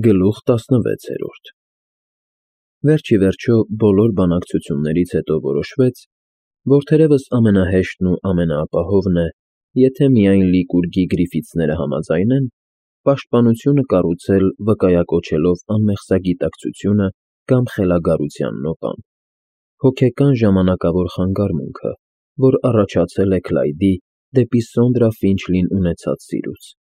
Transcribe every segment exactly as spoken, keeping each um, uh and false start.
Գլուխ տասնվեցերորդ Վերջ ի վերջո բոլոր բանակցություններից հետո որոշվեց, որ թերևս ամենահեշտն ու ամենաապահովն է, եթե միայն Լիկուրգի Գրիֆիթսները համաձայնեն, պաշտպանությունը կառուցել վկայակոչելով անմեղսագիտակցությունը կամ խելագարության նոպան, հոգեկան ժամանակավոր խանգարմունքը, որ առաջացել է Քլայդի դեպի Սոնդրա Ֆինչլին ունեցած սիրուց,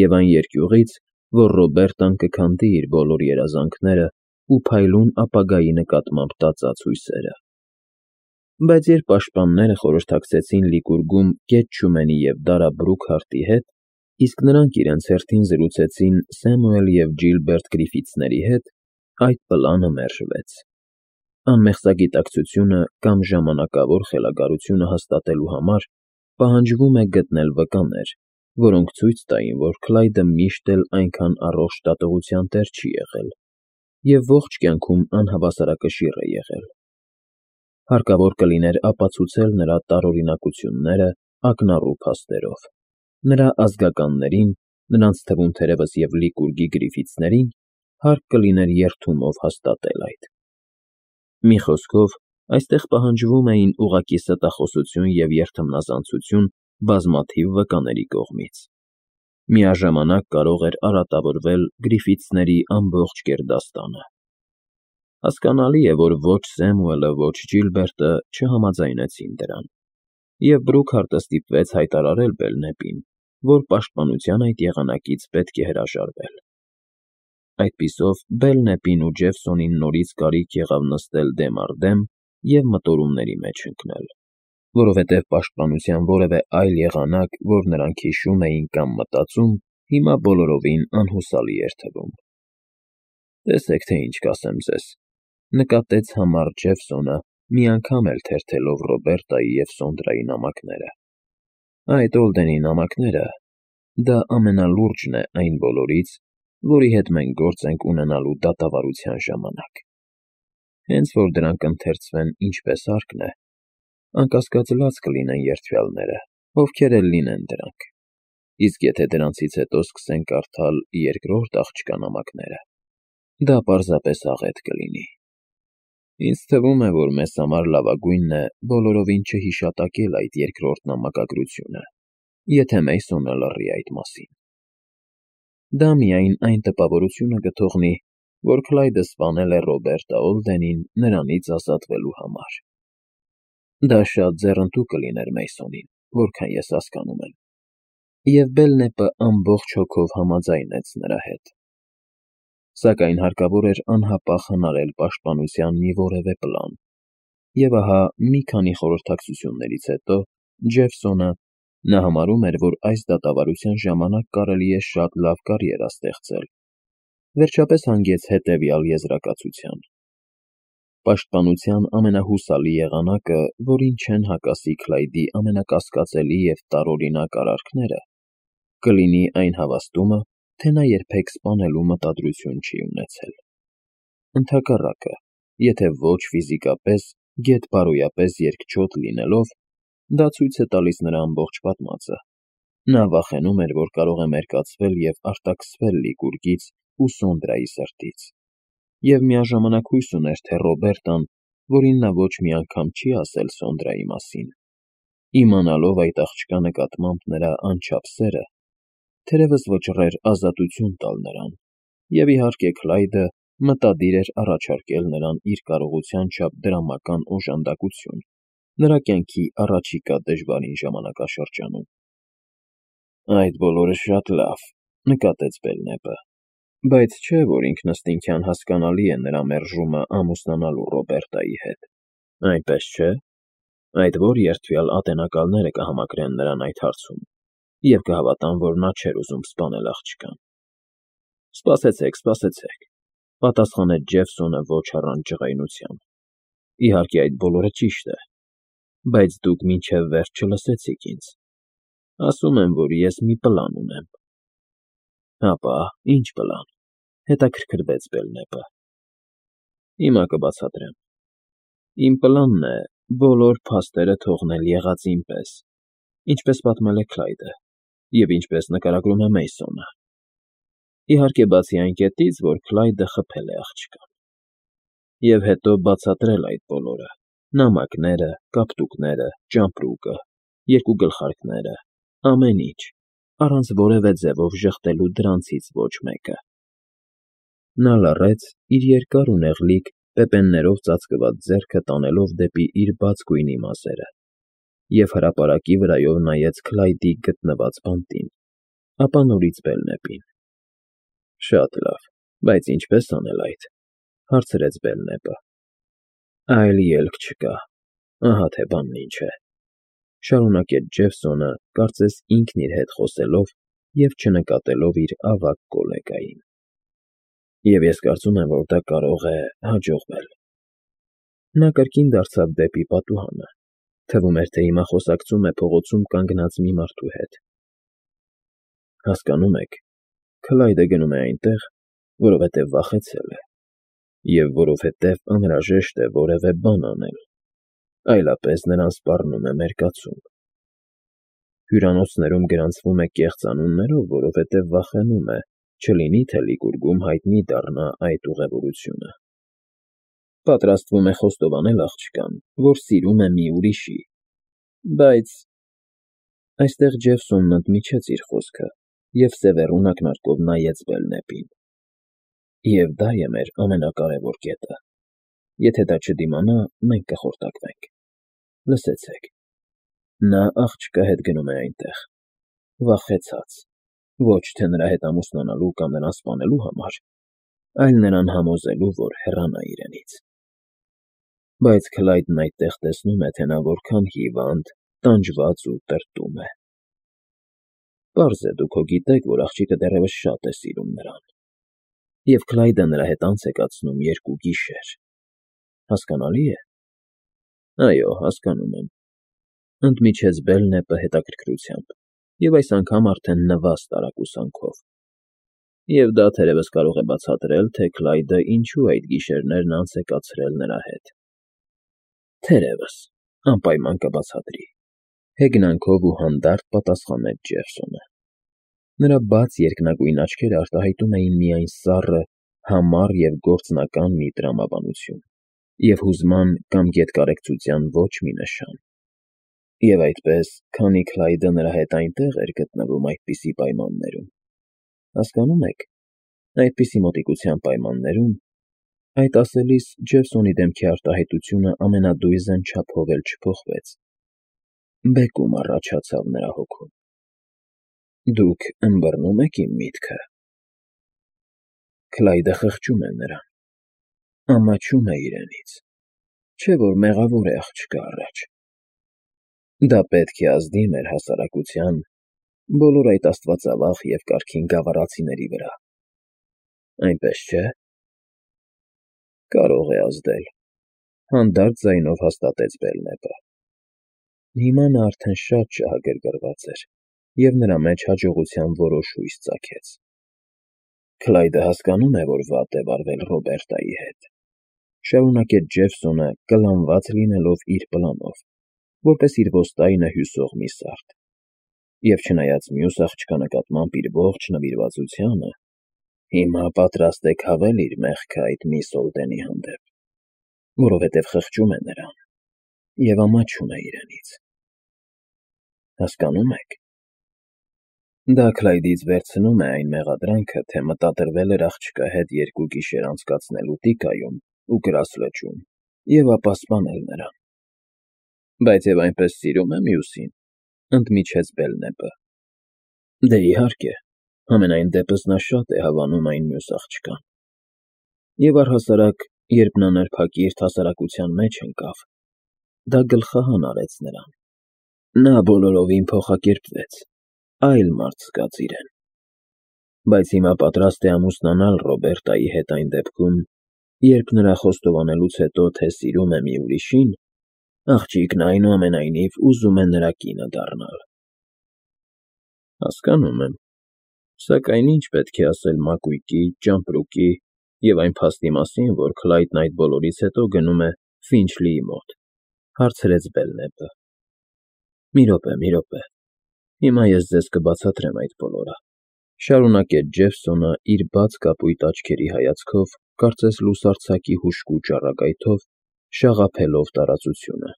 և այն երկյուղից, որ Ռոբերտան կքանդի իր բոլոր երազանքները ու փայլուն ապագայի նկատմամբ տածած հույսերը։ Բայց երբ պաշտպանները խորհրդակցեցին Լիկուրգում Կետ Չումենի և Դարա Բրուքհարթի հետ, իսկ նրանք իրենց հերթին զրուցեցին Սեմուել և Ջիլբերտ Գրիֆիթսների հետ, այդ պլանը մերժվեց։ Անմեղսագիտակցությունը կամ ժամանակավոր խելագարությունը հաստատելու համար պահանջվում է գտնել վկաներ, որոնք ցույց տային, որ Քլայդը միշտ էլ այնքան առողջ դատողության տեր չի եղել և ողջ կյանքում անհավասարակշիռ է եղել։ Հարկավոր կլիներ ապացուցել նրա տարօրինակությունները ակնառու փաստերով։ Նրա ազգականներին, նրանց թվում թերևս և Լիկուրգի Գրիֆիթսներին, հարկ կլիներ երդումով հաստատել այդ։ Մի խոսքով, այստեղ պահանջվում էին ուղղակի ստախոսություն և երդմնազանցություն բազմաթիվ վկաների կողմից։ Միաժամանակ կարող էր արատավորվել Գրիֆիթսների ամբողջ գերդաստանը։ Հասկանալի է, որ ոչ Սեմուելը, ոչ Ջիլբերտը չհամաձայնեցին դրան, և Բրուքհարտը ստիպվեց հայտարարել Բելնեպին, որ պաշտպանության այդ եղանակից պետք է հրաժարվել։ Այդպիսով Բելնեպին ու Ջեֆսոնին նորից կարիք եղավ նստել դեմ առ դեմ և մտորումների մեջ ընկնել, որովհետև պաշտպանության որևէ այլ եղանակ, որ նրանք հիշում էին կամ մտածում, հիմա բոլորովին անհուսալի էր թվում։ «Տեսեք, թե ինչ կասեմ ձեզ,֊ նկատեց համառ Ջեֆսոնը, մի անգամ էլ թերթելով Ռոբերտայի և Սոնդրայի նամակները,֊ այդ Օլդենի նամակները, դա ամենալուրջն է այն բոլորից, որի հետ մենք գործ ենք ունենալու դատավարության ժամանակ։ Հենց որ դրանք ընթերցվեն ինչպես հարկն է, անկասկած լաց կլինեն երդվյալները, ովքեր էլ լինեն դրանք, իսկ եթե դրանցից հետո սկսեն կարդալ երկրորդ աղջկա նամակները, դա պարզապես աղետ կլինի։ Ինձ թվում է, որ մեզ համար լավագույնն է բոլորովին չհիշատակել այդ երկրորդ նամակագրությունը, եթե Մեյսոնը լռի այդ մասին։ Դա միայն այն տպավորությունը կթողնի, որ Քլայդը սպանել է Ռոբերտա Օլդենին նրանից ազատվելու համար։ Դա շատ ձեռնտու կլիներ Մեյսոնին, որքան ես հասկանում եմ։ Եվ Բելնեպը ամբողջ հոգով համաձայնեց նրա հետ։ Սակայն հարկավոր էր անհապաղ հնարել պաշտպանության մի որևէ պլան, և ահա մի քանի խորհրդակցություններից հետո Ջեֆսոնը (նա համարում էր, որ այս դատավարության ժամանակ կարելի է շատ լավ կարիերա ստեղծել) վերջապես հանգեց հետևյալ եզրակացության. «Պաշտպանության ամենահուսալի եղանակը, որին չեն հակասի Քլայդի ամենակասկածելի և տարօրինակ արարքները, կլինի այն հավաստումը, թե նա երբեք սպանելու մտադրություն չի ունեցել։ Ընդհակառակը, եթե ոչ ֆիզիկապես, գեթ֊բարոյապես երկչոտ լինելով, դա ցույց է տալիս նրա ամբողջ պատմածը։ Նա վախենում էր, որ կարող է մերկացվել և արտաքսվել Լիկուրգից ու Սոնդրայի սրտից, և միաժամանակ հույս ուներ, թե Ռոբերտան, որին նա ոչ մի անգամ չի ասել Սոնդրայի մասին, իմանալով այդ աղջկա նկատմամբ նրա անչափ սերը, թերևս վճռեր ազատություն տալ նրան, և իհարկե Քլայդը մտադիր էր առաջարկել նրան իր կարողության չափ դրամական օժանդակություն նրա կյանքի առաջիկա դժվարին ժամանակաշրջանում»։ «Այդ բոլորը շատ լավ,֊ նկատեց Բելնեպը,֊ բայց չէ՞ որ ինքնըստինքյան հասկանալի է նրա մերժումը ամուսնանալու Ռոբերտայի հետ, այնպես չէ՞։ Այդ ո՞ր երդվյալ ատենակալները կհամակրեն նրան այդ հարցում և կհավատան, որ նա չէր ուզում սպանել աղջկան»։ «Սպասեցեք, սպասեցեք,֊ պատասխանեց Ջեֆսոնը ոչ առանց ջղայնության,֊ իհարկե այդ բոլորը ճիշտ է, բայց դուք մինչև վերջ չլսեցիք ինձ։ Ասում եմ, որ ես մի պլան ունեմ»։ «Հապա, ի՞նչ պլան,֊ հետաքրքրվեց Բելնեպը։ «Հիմա կբացատրեմ։ Իմ պլանն է բոլոր փաստերը թողնել եղածին պես, ինչպես պատմել է Քլայդը և ինչպես նկարագրում է Մեյսոնը։ Իհարկե, բացի այն կետից, որ Քլայդը խփել է աղջկան։ Եվ հետո բացատրել այդ բոլորը. նամակները, կապտուկները, ճամպրուկը, երկու գլխարկները, ամեն ինչ, առանց որևէ ձևով ժխտելու դրանցից ոչ մեկը։ Նա լռեց, իր երկար ու նեղլիկ, պեպեններով ծածկված ձեռքը տանելով դեպի իր բաց գույնի մազերը, և հրապարակի վրայով նայեց Քլայդի գտնված բանտին, ապա նորից Բելնեպին։ Շատ լավ, բայց ինչպե՞ս անել այդ,֊ հարցրեց Բելնեպը։ Այլ ելք չկա, ահա թե բանն ինչ է,֊ շարունակեց Ջեֆսոնը, կարծես ինքն իր հետ խոսելով և չնկատելով իր ավագ գոլեգային։ Եվ ես կարծում եմ, որ դա կարող է հաջողվել։ Նա կրկին դարձավ դեպի պատուհանը, թվում էր, թե հիմա խոսակցում է փողոցում կանգնած մի մարդու հետ։ Հասկանում եք, Քլայդը գնում է այնտեղ, որովհետև վախեցել է, և որովհետև անհրաժեշտ է որևէ բան անել, այլապես նրան սպառնում է մերկացում։ Հյուրանոցներում գրանցվում է կեղծ անուններով, որովհետև վախենում է, չլինի թե Լիկուրգում հայտնի դառնա այդ ուղևորությունը։ Պատրաստվում է խոստովանել աղջկան, որ սիրում է մի ուրիշի, բայց… Այստեղ Ջեֆսոնն ընդմիջեց իր խոսքը և սևեռուն ակնարկով նայեց Բելնեպին։ Եվ դա է մեր ամենակարևոր կետը։ Եթե դա չդիմանա, մենք կխորտակվենք։ Լսեցեք. նա աղջկա հետ գնում է այնտեղ, վախեցած, ոչ թե նրա հետ ամուսնանալու կամ նրան սպանելու համար, այլ նրան համոզելու, որ հեռանա իրենից։ Բայց Քլայդն այդտեղ տեսնում է, թե նա որքան հիվանդ, տանջված ու տրտում է։ Պարզ է, դուք հո գիտեք, որ աղջիկը դեռևս շատ է սիրում նրան։ Եվ Քլայդը նրա հետ անց է կացնում երկու գիշեր։ Հասկանալի՞ է։ Այո, հասկանում եմ,֊ ընդմիջեց Բելնեպը հետաքրքրությամբ և այս անգամ արդեն նվազ տարակուսանքով։ Եվ դա թերևս կարող է բացատրել, թե Քլայդը ինչու այդ գիշերներն անց է կացրել նրա հետ։ Թերևս, անպայման կբացատրի,֊ հեգնանքով ու հանդարտ պատասխանեց Ջեֆսոնը։ Նրա բաց երկնագույն աչքերը արտահայտում էին միայն սառը, համառ և գործնական մի տրամաբանություն, և հուզման կամ գետկարեկցության ոչ մի նշան։ Եվ այդպես, քանի Քլայդը նրա հետ այնտեղ էր գտնվում այդպիսի պայմաններում, հասկանո՞ւմ եք, այդպիսի մոտիկության պայմաններում, այդ ասելիս Ջեֆսոնի դեմքի արտահայտությունը ամենադույզն չափով էլ չփոխվեց, բեկում առաջացավ նրա հոգում։ Դուք ըմբռնո՞ւմ եք իմ միտքը։ Քլայդը խղճում է նրան, ամաչում է իրենից, չէ՞ որ մեղավոր է աղջկա առաջ։ Դա պետք է ազդի մեր հասարակության, բոլոր այդ աստվածավախ և կարգին գավառացիների վրա, այնպես չէ՞։ Կարող է ազդել,֊ հանդարտ ձայնով հաստատեց Բելնեպը։ Հիմա նա արդեն շատ շահագրգռված էր, և նրա մեջ հաջողության որոշ հույս ծագեց։ Քլայդը հասկանում է, որ վատ է վարվել Ռոբերտայի հետ,֊ շարունակեց Ջեֆսոնը, կլանված լինելով իր պլանով, որպես իր ոստայնը հյուսող մի սարդ, և չնայած մյուս աղջկա նկատմամբ իր ողջ նվիրվածությանը, հիմա պատրաստ է քավել իր մեղքը այդ միսս Օլդենի հանդեպ, որովհետև խղճում է նրան և ամաչում է իրենից։ Հասկանո՞ւմ եք։ Դա Քլայդից վերցնում է այն մեղադրանքը, թե մտադրվել էր աղջկա հետ երկու գիշեր անցկացնելու տիկայում ու կրակ լճում և ապա սպանել նրան։ Բայց և այնպես սիրում է մյուսին,֊ ընդմիջեց Բելնեպը։ Դե, իհարկե, համենայն դեպս նա շատ է հավանում այն մյուս աղջկան։ Եվ առհասարակ, երբ նա նրբակիրթ հասարակության մեջ ընկավ, դա գլխահան արեց նրան։ Նա բոլորովին փոխակերպվեց, այլ մարդ զգաց իրեն։ Բայց հիմա պատրաստ է ամուսնանալ Ռոբերտայի հետ այն դեպքում, երբ նրա խոստովանելուց հետո, թե սիրում է մի ուրիշին, աղջիկն այնուամենայնիվ ուզում է նրա կինը դառնալ։ Հասկանում եմ, սակայն ի՞նչ պետք է ասել մակույկի, ճամպրուկի և այն փաստի մասին, որ Քլայդն այդ բոլորից հետո գնում է Ֆինչլիի մոտ,֊ հարցրեց Բելնեպը։ Մի րոպե, մի րոպե, հիմա ես ձեզ կբացատրեմ այդ բոլորը։ Շարունակեց Ջեֆսոնը իր բաց կապույտ աչքերի հայացքով, կարծես լուսարձակի հուժկու ճառագայթով, շաղափելով տարածությունը։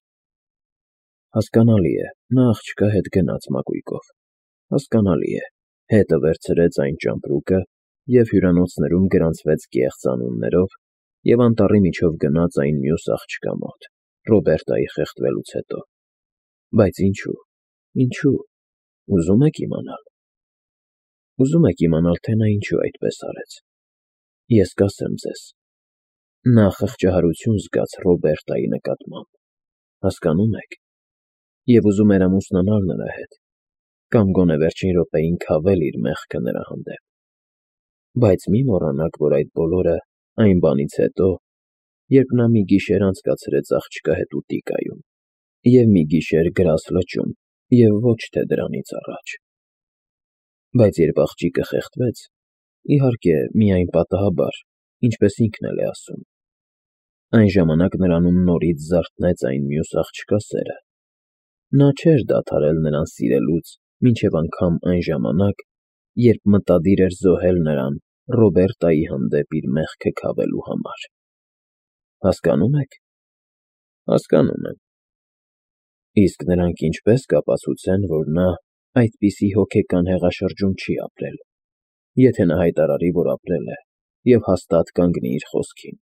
Հասկանալի է, նա աղջկա հետ գնաց մակույկով, հասկանալի է, հետը վերցրեց այն ճամպրուկը և հյուրանոցներում գրանցվեց կեղծ անուններով և անտառի միջով գնաց այն մյուս աղջկա մոտ, Ռոբերտայի խեղդվելուց հետո, բայց ինչո՞ւ, ինչո՞ւ, ուզո՞ւմ եք իմանալ։ Ուզում եք իմանալ, թե նա ինչու այդպես արեց։ Ես կասեմ ձեզ. նա խղճահարություն զգաց Ռոբերտայի նկատմամբ, հասկանո՞ւմ եք, և ուզում էր ամուսնանալ նրա հետ, կամ գոնե վերջին րոպեին քավել իր մեղքը նրա հանդեպ։ Բայց մի մոռանաք, որ այդ բոլորը այն բանից հետո, երբ նա մի գիշեր անցկացրեց աղջկա հետ ուտիկայում, և մի գիշեր գրազ լճում, և ոչ թե դրանից առաջ։ Բայց երբ աղջիկը խեղդվեց, իհարկե, միայն պատահաբար, ինչպես ինքն էլ է ասում, այն ժամանակ նրանում նորից զարթնեց այն մյուս աղջկա սերը։ Նա չէր դադարել նրան սիրելուց մինչև անգամ այն ժամանակ, երբ մտադիր էր զոհել նրան Ռոբերտայի հանդեպ իր մեղքը քավելու համար։ Հասկանո՞ւմ եք։ Հասկանում եմ։ Իսկ նրանք ինչպե՞ս կապացուցեն, որ նա այդպիսի հոգեկան հեղաշրջում չի ապրել, եթե նա հայտարարի, որ ապրել է, և հաստատ կանգնի իր խոսքին։